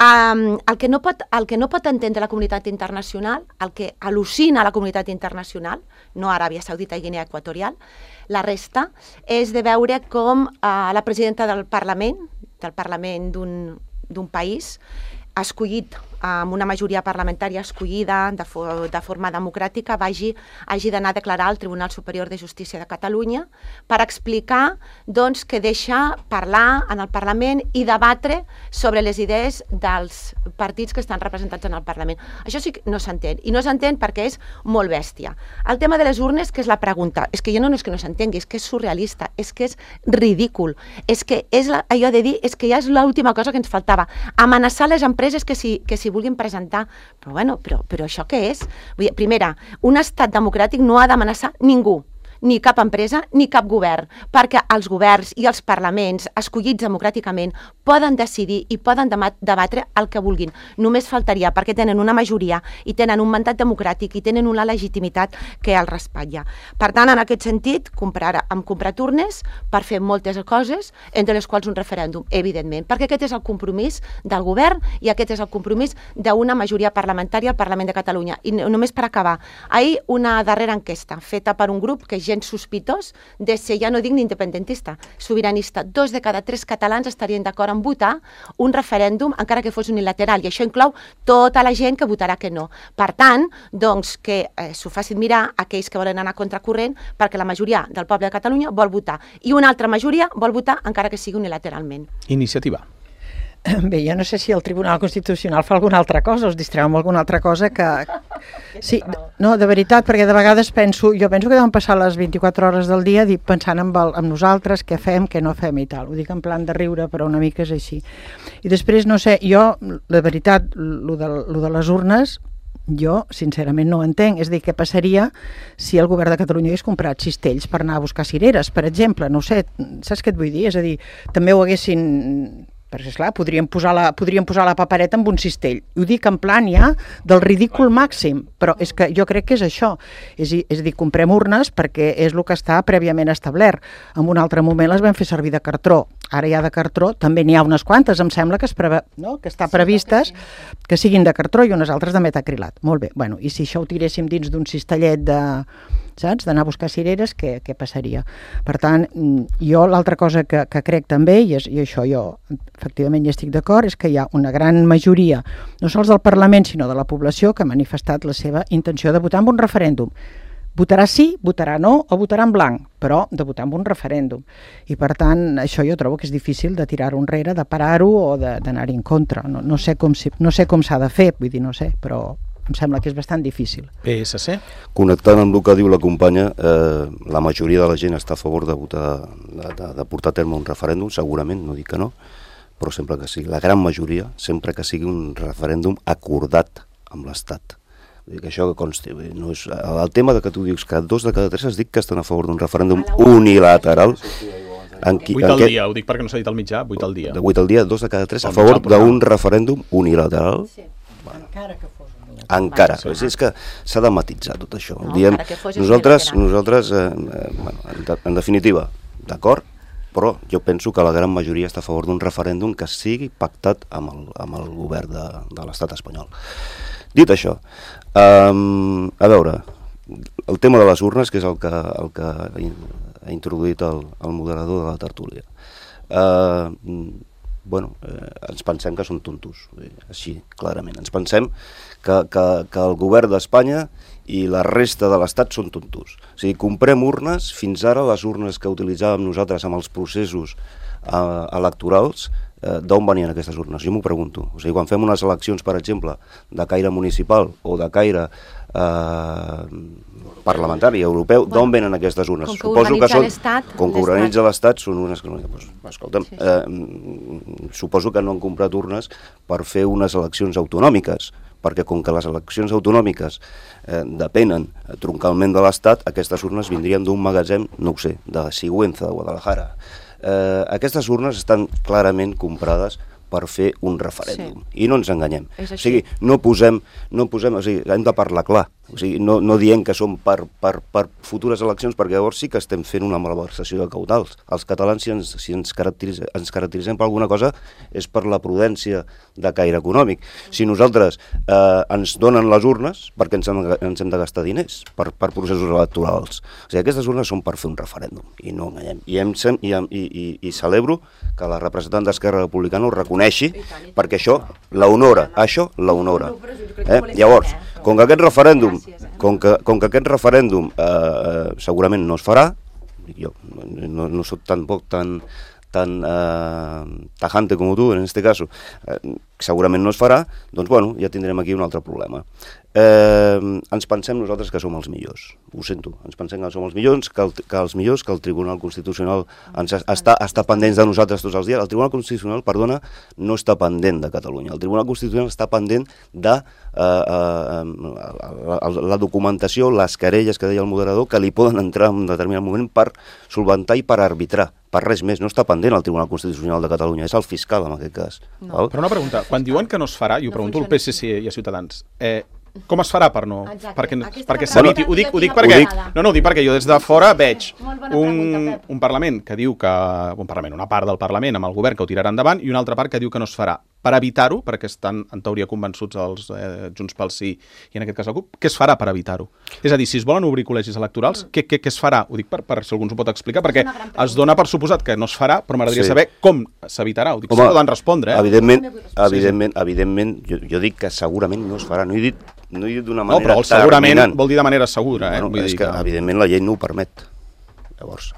Um, el, que no pot, el que no pot entendre la comunitat internacional, el que al·lucina la comunitat internacional, no Aràbia Saudita i Guinea Equatorial, la resta, és de veure com uh, la presidenta del Parlament, del Parlament d'un país, ha escollit amb una majoria parlamentària escollida de, fo de forma democràtica, vagi, hagi d'anar a declarar al Tribunal Superior de Justícia de Catalunya per explicar doncs, que deixa parlar en el Parlament i debatre sobre les idees dels partits que estan representats en el Parlament. Això sí que no s'entén, i no s'entén perquè és molt bèstia. El tema de les urnes, que és la pregunta, és que jo no, no és que no s'entengui, és que és surrealista, és que és ridícul, és que és la, allò de dir, és que ja és l'última cosa que ens faltava, amenaçar les empreses que si, que si vulguin presentar, però bueno, però, però això què és? Vull dir, primera, un estat democràtic no ha d'amenaçar ningú, ni cap empresa, ni cap govern, perquè els governs i els parlaments escollits democràticament poden decidir i poden debatre el que vulguin. Només faltaria, perquè tenen una majoria i tenen un mandat democràtic i tenen una legitimitat que els respatlla. Per tant, en aquest sentit, comprar, hem comprat urnes per fer moltes coses, entre les quals un referèndum, evidentment, perquè aquest és el compromís del govern i aquest és el compromís d'una majoria parlamentària al Parlament de Catalunya. I només per acabar, ahir una darrera enquesta feta per un grup que gens sospitós de ser, ja no dic ni independentista, sobiranista. Dos de cada tres catalans estarien d'acord en votar un referèndum, encara que fos unilateral, i això inclou tota la gent que votarà que no. Per tant, doncs, que eh, s'ho facin mirar aquells que volen anar contracorrent, perquè la majoria del poble de Catalunya vol votar, i una altra majoria vol votar encara que sigui unilateralment. Iniciativa. Bé, jo no sé si el Tribunal Constitucional fa alguna altra cosa, us distreu amb alguna altra cosa que... Sí, no, de veritat, perquè de vegades penso, jo penso que deuen passar les vint-i-quatre hores del dia pensant en, el, en nosaltres, què fem, què no fem i tal. Ho dic en plan de riure, però una mica és així. I després, no sé, jo, de veritat, lo de, lo de les urnes, jo, sincerament, no ho entenc. És a dir, què passaria si el govern de Catalunya hagués comprat cistells per anar a buscar cireres, per exemple? No ho sé, saps què et vull dir? És a dir, també ho haguessin... Perquè, esclar, podríem posar, la, podríem posar la papereta amb un cistell. Ho dic en plan ja del ridícul màxim, però és que jo crec que és això. És, és a dir, comprem urnes perquè és el que està prèviament establert. En un altre moment les vam fer servir de cartró. Ara ja de cartró també n'hi ha unes quantes, em sembla que, es preve, no? que està previstes que siguin de cartró i unes altres de metacrilat. Molt bé, bueno, i si això ho tiréssim dins d'un cistellet de... saps? D'anar a buscar cireres, què, què passaria? Per tant, jo l'altra cosa que, que crec també, i, és, i això jo efectivament hi estic d'acord, és que hi ha una gran majoria, no sols del Parlament, sinó de la població, que ha manifestat la seva intenció de votar en un referèndum. Votarà sí, votarà no o votarà en blanc, però de votar en un referèndum. I per tant, això jo trobo que és difícil de tirar-ho enrere, de parar-ho o d'anar-hi en contra. No, no sé com, si, no sé com s'ha de fer, vull dir, no sé, però em sembla que és bastant difícil. P S C? Connectant amb el que diu la companya, eh, la majoria de la gent està a favor de, votar, de, de, de portar a terme un referèndum, segurament, no dic que no, però sempre que sigui, la gran majoria, sempre que sigui un referèndum acordat amb l'Estat. Que això que consti, no és, el tema de que tu dius que dos de cada tres es dic que estan a favor d'un referèndum unilateral. En qui, vuit en al què, dia, ho dic perquè no s'ha dit al mitjà, vuit al dia. De vuit al dia, dos de cada tres a favor d'un referèndum unilateral. Sí. Bueno, encara que fos unilateral. Encara, sí. és, és que s'ha de matitzar tot això. No, diem, nosaltres, nosaltres eh, eh, bueno, en, de, en definitiva, d'acord, però jo penso que la gran majoria està a favor d'un referèndum que sigui pactat amb el, amb el govern de, de l'estat espanyol. Dit això, um, a veure, el tema de les urnes, que és el que, el que ha introduït el, el moderador de la tertúlia. Uh, bueno, eh, ens pensem que són tontos, així, clarament. Ens pensem que, que, que el govern d'Espanya i la resta de l'Estat són tontos. O sigui, comprem urnes, fins ara les urnes que utilitzàvem nosaltres amb els processos eh, electorals, eh, d'on venien aquestes urnes? Jo m'ho pregunto. O sigui, quan fem unes eleccions, per exemple, de caire municipal o de caire eh, parlamentari, europeu, bueno, d'on venen aquestes urnes? Com que suposo que són, com que organitza l'Estat, són unes que no... Pues, escolta'm, sí, sí. Eh, suposo que no han comprat urnes per fer unes eleccions autonòmiques, perquè com que les eleccions autonòmiques eh, depenen eh, troncalment de l'Estat, aquestes urnes vindrien d'un magatzem, no ho sé, de Sigüenza, de Guadalajara. Eh, aquestes urnes estan clarament comprades per fer un referèndum. Sí. I no ens enganyem. O sigui, no posem, no posem, o sigui, hem de parlar clar. O sigui, no, no diem que són per, per, per futures eleccions, perquè llavors sí que estem fent una malversació de caudals. Els catalans, si ens, si ens, caracteritzem, ens caracteritzem per alguna cosa, és per la prudència de caire econòmic. Si nosaltres eh, ens donen les urnes, perquè ens hem, ens hem de gastar diners per, per processos electorals. O sigui, aquestes urnes són per fer un referèndum, i no enganyem. I, em, i, i, i, i celebro que la representant d'Esquerra Republicana ho reconeixi, perquè això l'honora, això l'honora. Eh? Llavors, com que aquest referèndum, com que, com que aquest referèndum eh, segurament no es farà, jo no, no soc tampoc tan, tan eh, tajante com tu, en este caso, eh, segurament no es farà, doncs bueno, ja tindrem aquí un altre problema. Eh, ens pensem nosaltres que som els millors, ho sento, ens pensem que som els millors, que, el, que els millors, que el Tribunal Constitucional ens està, està pendent de nosaltres tots els dies. El Tribunal Constitucional, perdona, no està pendent de Catalunya. El Tribunal Constitucional està pendent de eh, eh, la, la documentació, les querelles que deia el moderador, que li poden entrar en un determinat moment per solventar i per arbitrar. Per res més, no està pendent el Tribunal Constitucional de Catalunya, és el fiscal en aquest cas. No. Però una pregunta, quan diuen que no es farà, i ho no pregunto al P S C i a Ciutadans, eh, com es farà per no... Exacte. Perquè, perquè s'eviti? Ho dic, ho dic perquè... No, no, ho dic perquè jo des de fora veig un, un Parlament que diu que... Un Parlament, una part del Parlament amb el govern que ho tirarà endavant i una altra part que diu que no es farà. Per evitar-ho, perquè estan en teoria convençuts els eh, Junts pel Sí i en aquest cas el CUP, què es farà per evitar-ho? És a dir, si es volen obrir col·legis electorals, què, què, què es farà? Ho dic per, per si algú ens ho pot explicar, perquè es dona per suposat que no es farà, però m'agradaria sí. saber com s'evitarà. Ho dic, Home, si poden respondre, eh? Evidentment, evidentment, evidentment jo, jo dic que segurament no es farà. No he dit, no he dit d'una manera no, però segurament terminant. Vol dir de manera segura. Eh? Bueno, Vull és dir que, que, evidentment, la llei no ho permet. Llavors,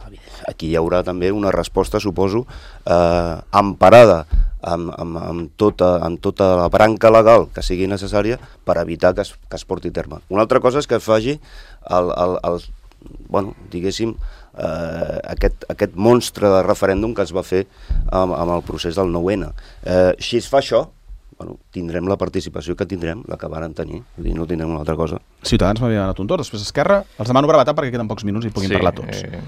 aquí hi haurà també una resposta, suposo, eh, emparada amb, amb, amb, tota, amb tota la branca legal que sigui necessària per evitar que es, que es porti a terme. Una altra cosa és que es faci el, el, el, bueno, diguéssim, eh, aquest, aquest monstre de referèndum que es va fer amb, amb el procés del nou ene. Eh, si es fa això, bueno, tindrem la participació que tindrem, la que varen tenir, vull dir, no tindrem una altra cosa. Ciutadans m'havia donat un torn, després Esquerra, els demano brevetat perquè queden pocs minuts i puguin sí, parlar tots. Eh,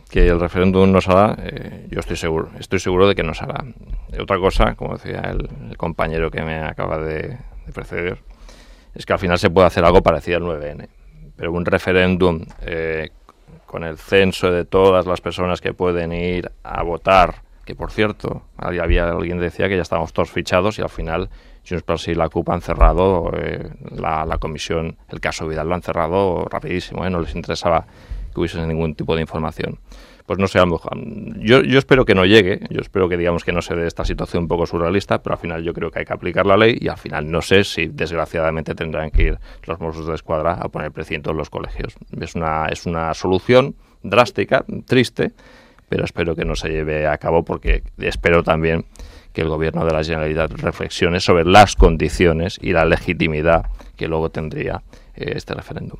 que el referéndum no será, eh, yo estoy seguro, estoy seguro de que no será. Eh, otra cosa, como decía el, el compañero que me acaba de, de preceder, es que al final se puede hacer algo parecido al nueve ene, pero un referéndum eh, con el censo de todas las personas que pueden ir a votar, que por cierto, había alguien que decía que ya estábamos todos fichados y al final Junts pel Sí y la CUP han cerrado eh, la, la comisión, el caso Vidal lo han cerrado rapidísimo, eh, no les interesaba que hubiese ningún tipo de información. Pues no sé, a lo mejor, yo, yo espero que no llegue, yo espero que digamos que no se dé esta situación un poco surrealista, pero al final yo creo que hay que aplicar la ley y al final no sé si desgraciadamente tendrán que ir los Mossos de Escuadra a poner precinto en los colegios. Es una, es una solución drástica, triste, pero espero que no se lleve a cabo porque espero también que el Gobierno de la Generalitat reflexione sobre las condiciones y la legitimidad que luego tendría eh, este referéndum.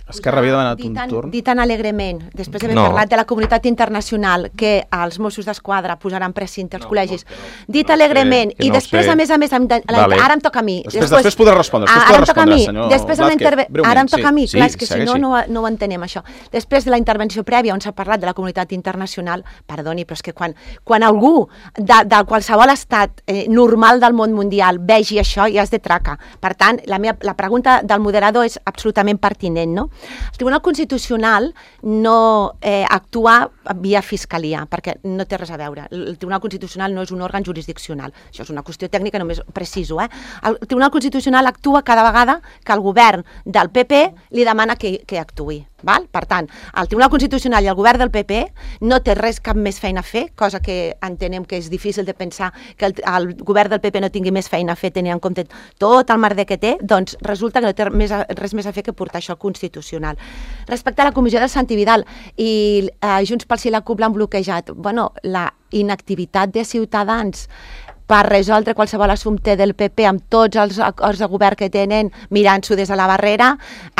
Esquerra havia demanat un torn. Dit tan alegrement, després d'haver no. parlat de la comunitat internacional, que els Mossos d'Esquadra posaran precinte als no, col·legis, no, no, dit no alegrement, sé, i no després, sé. a més a més, de, vale. ara em toca a mi. Després, després, després podrà respondre, després ara podrà respondre, mi, senyor després de la interve... Blázquez. Ara em toca a mi, sí, clar, és que sí, si no, no, no ho entenem, això. Després de la intervenció prèvia, on s'ha parlat de la comunitat internacional, perdoni, però és que quan, quan algú de, de qualsevol estat eh, normal del món mundial vegi això, ja és de traca. Per tant, la, meva, la pregunta del moderador és absolutament pertinent, no? El Tribunal Constitucional no eh, actua via fiscalia, perquè no té res a veure. El Tribunal Constitucional no és un òrgan jurisdiccional. Això és una qüestió tècnica, només preciso. Eh? El Tribunal Constitucional actua cada vegada que el govern del P P li demana que, que actuï. Val? Per tant, el Tribunal Constitucional i el govern del P P no té res, cap més feina a fer, cosa que entenem que és difícil de pensar que el, el govern del P P no tingui més feina a fer tenint en compte tot el merder que té, doncs resulta que no té més, res més a fer que portar això al Constitucional. Respecte a la comissió del Santi Vidal i eh, Junts pel Sí i la CUP l'han bloquejat, bueno, la inactivitat de Ciutadans per resoldre qualsevol assumpte del P P amb tots els acords de govern que tenen mirant-s'ho des de la barrera,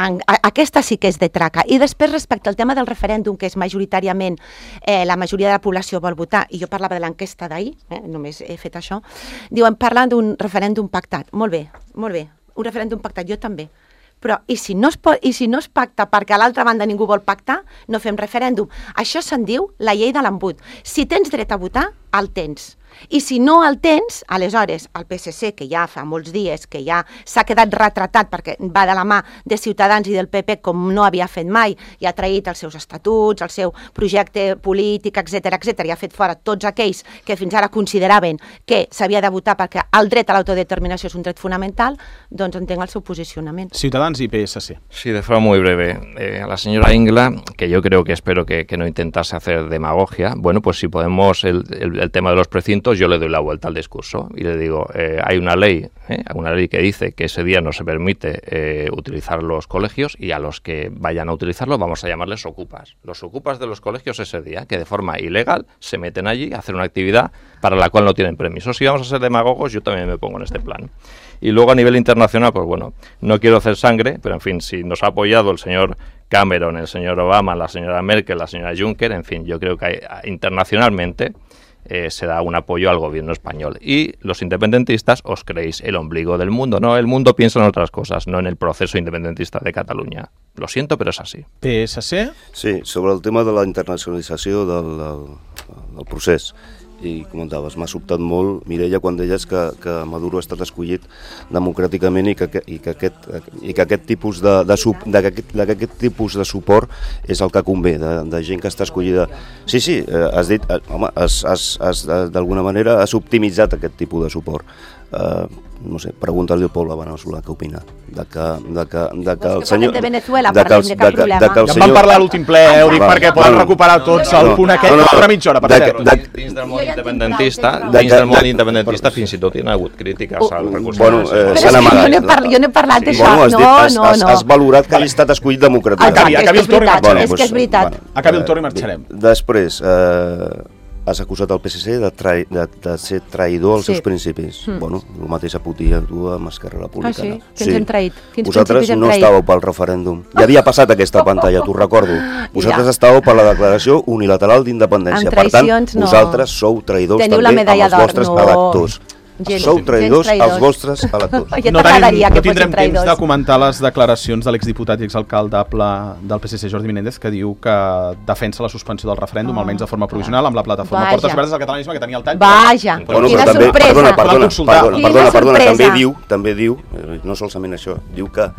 en, a, aquesta sí que és de traca. I després, respecte al tema del referèndum, que és majoritàriament eh, la majoria de la població vol votar, i jo parlava de l'enquesta d'ahir, eh, només he fet això, diuen, parlen d'un referèndum pactat. Molt bé, molt bé, un referèndum pactat, jo també. Però i si no es, pot, i si no es pacta perquè a l'altra banda ningú vol pactar, no fem referèndum. Això se'n diu la llei de l'embut. Si tens dret a votar, el tens. I si no el tens, aleshores el P S C, que ja fa molts dies que ja s'ha quedat retratat perquè va de la mà de Ciutadans i del P P com no havia fet mai, i ha traït els seus estatuts, el seu projecte polític, etcètera, etcètera, i ha fet fora tots aquells que fins ara consideraven que s'havia de votar perquè el dret a l'autodeterminació és un dret fonamental, doncs entenc el seu posicionament. Ciutadans y P S C. Sí, de forma muy breve. Eh, a la señora Ingla, que yo creo que espero que, que no intentase hacer demagogia, bueno, pues si podemos, el, el, el tema de los precintos, yo le doy la vuelta al discurso y le digo, eh, hay una ley, eh, una ley que dice que ese día no se permite eh, utilizar los colegios, y a los que vayan a utilizarlo vamos a llamarles ocupas. Los ocupas de los colegios ese día, que de forma ilegal se meten allí a hacer una actividad para la cual no tienen permiso. Si vamos a ser demagogos, yo también me pongo en este plan. Y luego a nivel internacional, pues bueno, no quiero hacer sangre, pero en fin, si nos ha apoyado el señor Cameron, el señor Obama, la señora Merkel, la señora Juncker, en fin, yo creo que hay, internacionalmente Eh, se da un apoyo al gobierno español. Y los independentistas os creéis el ombligo del mundo. No, el mundo piensa en otras cosas, no en el proceso independentista de Catalunya. Lo siento, però és així. P S C? Sí, sobre el tema de la internacionalització del, del, del procés. I comentaves, m'ha sobtat molt, Mireia, quan deies que, que Maduro ha estat escollit democràticament i que, i que, aquest, i que aquest tipus de, de, sub, de, que, de que aquest tipus de suport és el que convé, de, de gent que està escollida. Sí, sí, has dit, home, has, has, has, d'alguna manera has optimitzat aquest tipus de suport. Uh, no sé, pregunta-li al poble veneçolà què opina de que, de que, de que el senyor... de Venezuela, parlem, de cap problema. Ja en vam parlar a l'últim ple, eh, ho dic perquè poden recuperar tots el punt aquest, no, no, mitja hora, per cert. Dins del món independentista, dins del món independentista fins i tot hi ha hagut crítiques al recurs. Bueno, s'han amagat. Jo no he parlat d'això, no, no, no. Has valorat que hagi estat escollit democràticament. Acabi el torn i marxarem. És que és veritat. Acabi el torn i marxarem. Després, has acusat el P S C de, trai, de, de ser traïdor als sí. seus principis. Mm. Bueno, el mateix a Putin a tu amb Esquerra Republicana. Ah, sí? Que ens sí. hem traït. Quins Vosaltres no traït? estàveu pel referèndum. Ja havia passat aquesta pantalla, t'ho recordo. Vosaltres ja. estàveu per la declaració unilateral d'independència. Per tant, no. vosaltres sou traïdors Teniu també amb els vostres no. electors. Gens, Sou traïdors als vostres electors. No, tenim, no tindrem temps de comentar les declaracions de l'exdiputat i exalcaldable del P S C, Jordi Menéndez, que diu que defensa la suspensió del referèndum, oh, almenys de forma provisional, amb la plataforma Vaja. Portes Obertes del Catalanisme, que tenia el tall. Vaja, bueno, quina també, sorpresa. Perdona, perdona, perdona, perdona, perdona també diu, també diu, no solament això, diu que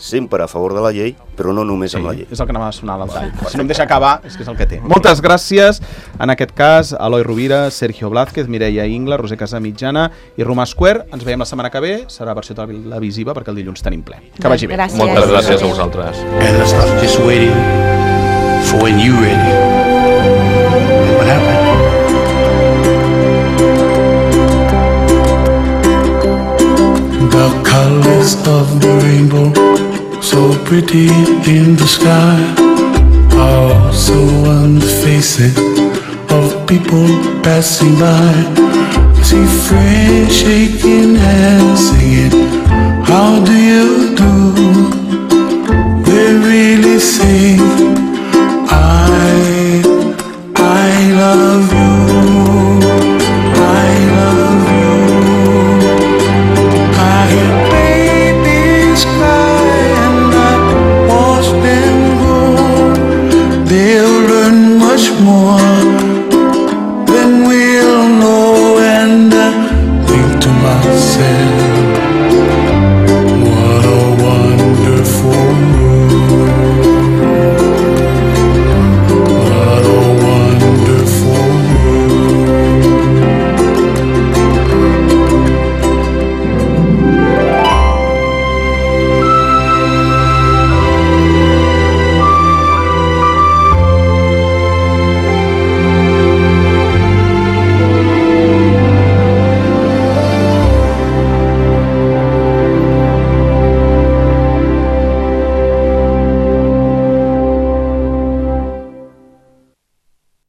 sempre a favor de la llei, però no només sí, amb la llei. És el que anava a sonar al tall. Si no em deixa acabar, és que és el que té. Moltes gràcies, en aquest cas, Eloi Rovira, Sergio Blázquez, Mireia Ingla, Roser Casamitjana i Romà Square. Ens veiem la setmana que ve, serà versió televisiva perquè el dilluns tenim ple. Que vagi bé. Gràcies. Moltes gràcies a vosaltres. And I was just waiting for when you ready. What happened? The colors of the rainbow, so pretty in the sky, are also on the faces of people passing by. I see friends shaking hands, singing, how do you do? They really say, I, I love you, I love you. I hear babies cry and I watch them grow. They'll learn much more than we'll know, and I think to myself,